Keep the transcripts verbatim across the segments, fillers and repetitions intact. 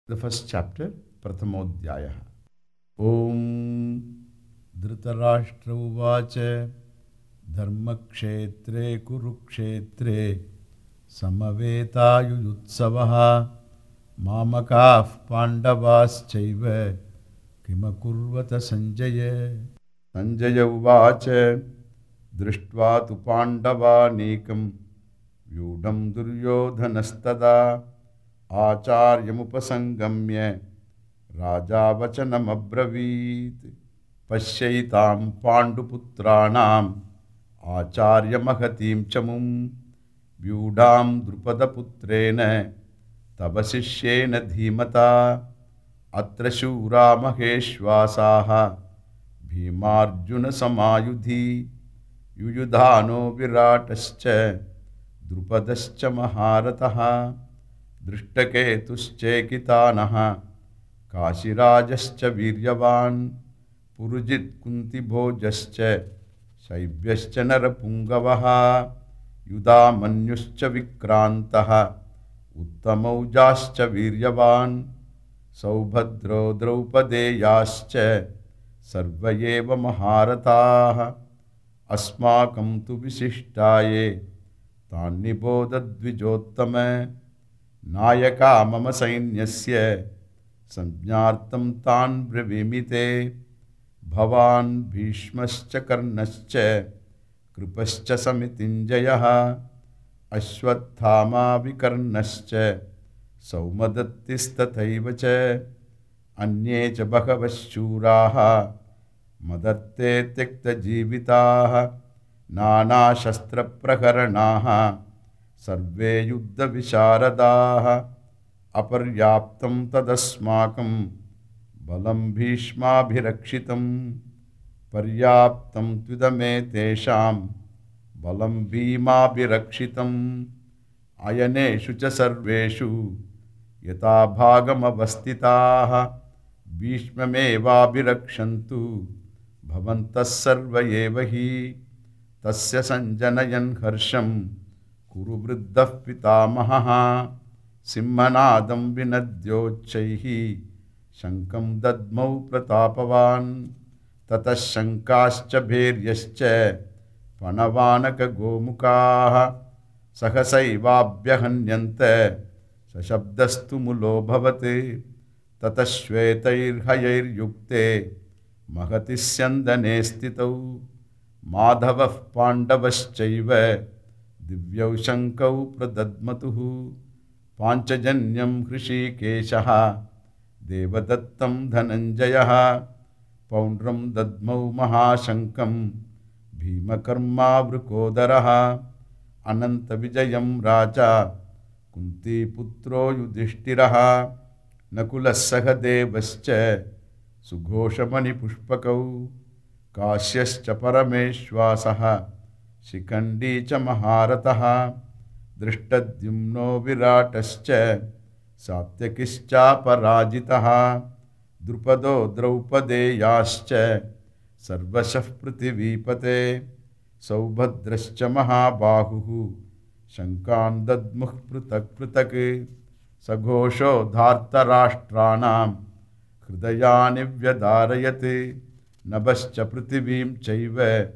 The first chapter, Prathamodhyaya. Om Dhritarashtra Uvacha Dharmakshetre Kurukshetre Samaveta Mamakaf Pandavas Chaiva Kimakurvata Sanjaya. Sanjaya Uvacha Drishtva tu Pandava Nikam Vyudam Duryodhanastada Acharyamupasangamya Raja Vachanam Abravit Pasyaitam Panduputranam Acharya Mahatim Chamum Vyudam Drupada Putrena Tabasishyena Dhimata Atra Shura Maheshwasaha Bhimarjuna Samayudhi Yuyudhano Viratascha Drupadascha Maharataha Drishtaketuschekitanaha Kashirajascha Viryavan Purujit Kunti Bhojascha Shaivyascha Narapungavaha Yudhamanyuscha Vikrantaha Uttamaujascha Viryavan Saubhadro Draupadeyascha Sarvayeva Maharataha Asmakam tu Visishtaye Tannibodadvijottame Nayaka mama sainyasya Samjnartam tan brevimite Bhavan Bhishmascha Karnascha Kripascha Samitinjayaha Ashwathama Vikarnascha Saumadattistataivacha Anyecha Bhagavashuraha Madatte Tekta Jivitaha Nana Shastra Prakaranaha Sarve Yuddha Visharadaha Aparyaptam Tadasmakam Balam Bhishma Bhirakshitam Paryaptam Tvidame Tesham Balam Bhima Bhirakshitam Ayaneshu Cha Sarveshu Yata Bhagam Avastitaha Bhishmameva Bhirakshantu Bhavantas Sarvayevahi Tasya Sanjanayan Harsham Kuru Vriddhah Pitamaha Simhanadam Vinadyochaihi Shankam Dadmau Pratapavan Tatas Shankascha Bheryascha Panavanaka Gomukaha Sahasaivabhyahanyante Sashabdastu Mulo Bhavate Tatas Shvetair Hayair Yukte Mahatisyandane Stitau Madhavav Pandavaschaiva Divyau Shankau Pradadmatuhu Panchajanyam Hrishikeshaha Devadattam Dhananjayaha Paundram Dadmau Mahashankam Bhimakarma Vrukodaraha Ananta Vijayam Raja Kunti Putro Yudhishthiraha Nakulassaha Devascha Sughoshamani Pushpakau Kasyascha Parameshwasaha Shikandi cha Maharataha Drishtadyumno Viratascha Satyakischa Parajitaha Drupado Draupadeyascha Sarvashah Prithivipate Saubhadrascha Mahabahuhu Shankan Dadmuh Prutak Prutak Saghosho Dhartarashtranam Hridayani Vyadarayate Nabascha Prithivim Chaiva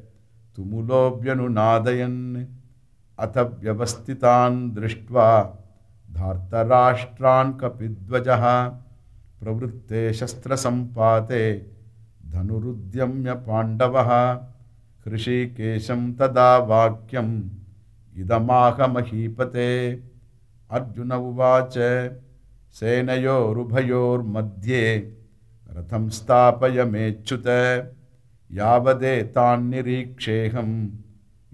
Tumulobhyanunadayan Athabhyavastitan Drishtva Dhartarashtran Kapidvajaha Pravrutte Shastra Sampate Dhanurudyamya Pandavaha Hrishikesham Tada Vakyam Idamaha Mahipate Arjuna Uvacha Senayor Ubhayor Madhye Ratham Stapaya Mechute Yavade tan niriksheham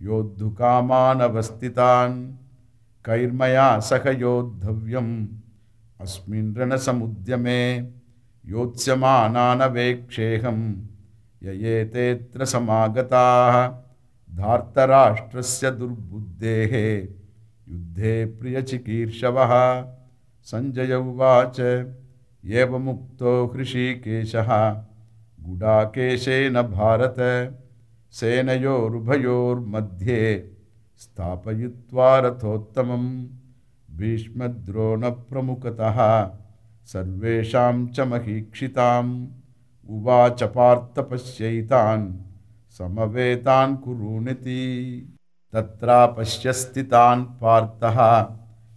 Yodhukaman avastitan Kairmaya Sakha Yodhavyam Asmin Rana Samudyame Yotsyamana Veksheham Yayetetra Samagataha Dhartarashtrasya Durbuddhehe Yuddhe Priyachikirshavah Sanjaya Uvacha Yeva Mukto Hrishikeshaha Gudakeshena Bharata Senayor Madhye Stapayitva Rathottamam Bhishma Drona Pramukataha सर्वेषां च महीक्षिताम् उवाच पार्थ पश्यैतान् समवेतान् कुरूनिति। तत्रापश्य स्थितान् पार्थः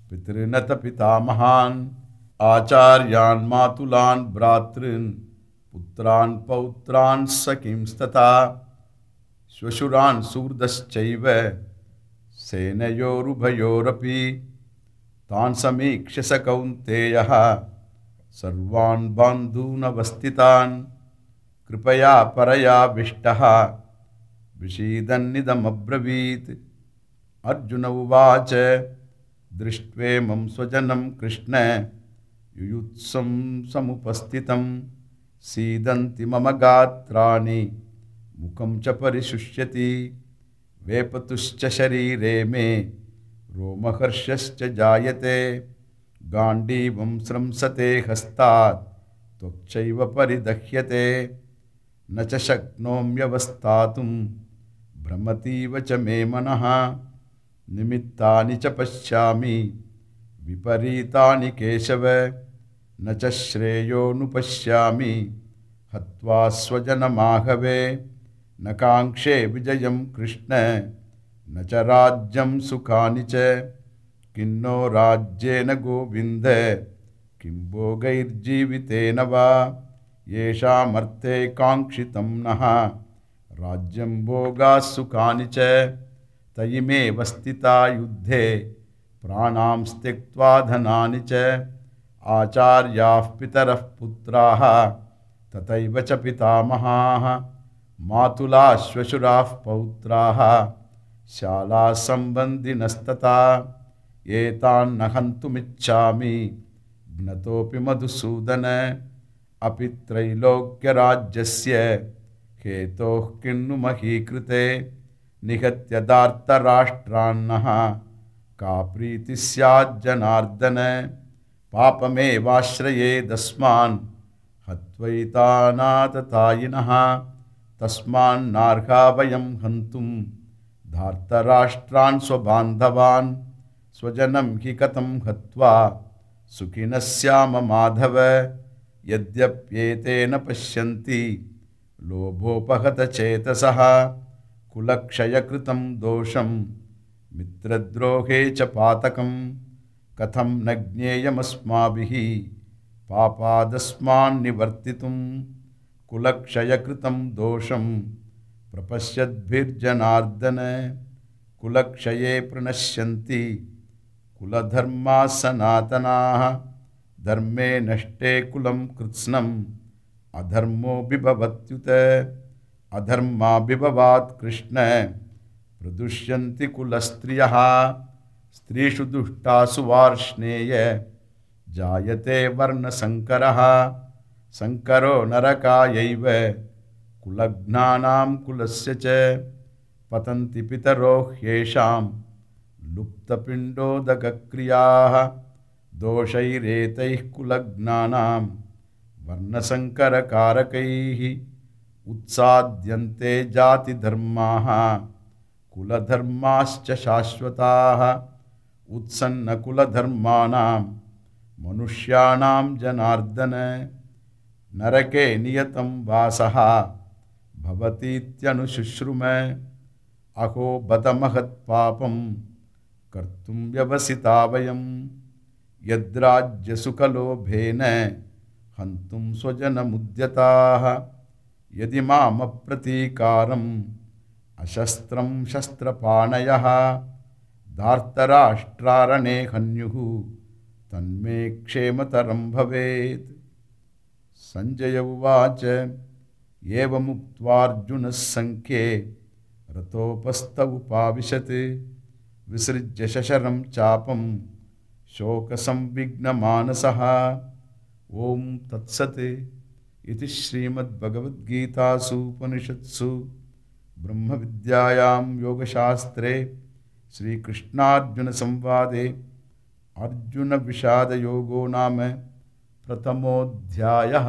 पितॄनथ पितामहान् आचार्यान् मातुलान् भ्रातॄन् पुत्रान् पौत्रान् सखींस्तथा श्वशुरान् सुहृदश्चैव सेनयोरुभयोरपि। तान् समीक्ष्य स कौन्तेयः सर्वान् बान्धूनवस्थितान् कृपया परयाविष्टः विषीदन्निदमब्रवीत्। अर्जुन उवाच दृष्ट्वेमं स्वजनं कृष्ण युयुत्सं समुपस्थितं सीदन्ति मम गात्राणि मुखं च परिशुष्यति। वेपतुश्च शरीरे मे रोमहर्षश्च जायते गाण्डीवं स्रंसते हस्तात् त्वक्चैव परिदह्यते। न च शक्नोम्यवस्थातुं भ्रमतीव च मे मनः निमित्तानि च पश्यामि विपरीतानि केशव। न च श्रेयोनुपश्यामि हत्वा स्वजनमाहवे। न काङ्क्षे विजयं कृष्ण न च राज्यं सुखानि च। किन्नो राज्येन गोविन्द किं भोगैर्जीवितेन वा। येषामर्थे काङ्क्षितं नः राज्यं भोगाः सुखानि च। तयिमेव स्थिता युद्धे प्राणां त्यक्त्वा धनानि च। आचार्याः पितरः पुत्राः तथैव च पितामहाः मातुलाः श्वशुराः पौत्राः शालाः सम्बन्धिनस्तथा। एतान्न हन्तुमिच्छामि ज्ञतोऽपि मधुसूदन। अपि त्रैलोक्यराज्यस्य हेतोः किन्नु महीकृते। निहत्य दार्तराष्ट्रान्नः का प्रीतिः स्याज्जनार्दन। पापमेवाश्रयेदस्मान् हत्वैतानाततायिनः। तस्मान्नार्हा वयं हन्तुं धार्तराष्ट्रान् स्वबान्धवान्। स्वजनं हि कथं हत्वा सुखिनः स्याम माधव। यद्यप्येतेन पश्यन्ति लोभोपहतचेतसः कुलक्षयकृतं दोषं मित्रद्रोहे च पातकं। कथं न ज्ञेयमस्माभिः पापादस्मान्निवर्तितुं। कुलक्षयकृतं दोषं प्रपश्यद्भिर्जनार्दन। कुलक्षये प्रणश्यन्ति कुलधर्माः सनातनाः। धर्मे नष्टे कुलं कृत्स्नम् अधर्मो बिभवत्युत। अधर्माभिभवात् कृष्ण प्रदुष्यन्ति कुलस्त्रियः। स्त्रीषु दुष्टासु वार्ष्णेय जायते वर्णसङ्करः। संकरो नरकायैव कुलघ्नानां कुलस्य च। पतन्ति पितरो ह्येषां लुप्तपिण्डोदकक्रियाः। दोषैरेतैः कुलघ्नानां वर्णसङ्करकारकैः। उत्साद्यन्ते जातिधर्माः कुलधर्माश्च शाश्वताः। उत्सन्नकुलधर्माणां मनुष्याणां जनार्दन। नरके नियतं वासः भवतीत्यनुशुश्रुम। अहो बत महत्पापं कर्तुं व्यवसिता वयं। यद्राज्यसुखलोभेन हन्तुं स्वजनमुद्यताः। यदि मामप्रतीकारम् अशस्त्रं शस्त्रपाणयः। धार्तराष्ट्रारणे हन्युः तन्मे क्षेमतरं भवेत्। संजय उवाच एवमुक्त्वार्जुनः सङ्ख्ये रथोपस्थ उपाविशत्। विसृज्य शशरं चापं शोकसंविघ्नमानसः। ओं तत्सत् इति श्रीमद्भगवद्गीतासु उपनिषत्सु ब्रह्मविद्यायां योगशास्त्रे श्रीकृष्णार्जुनसंवादे अर्जुनविषादयोगो नाम प्रथमोऽध्यायः।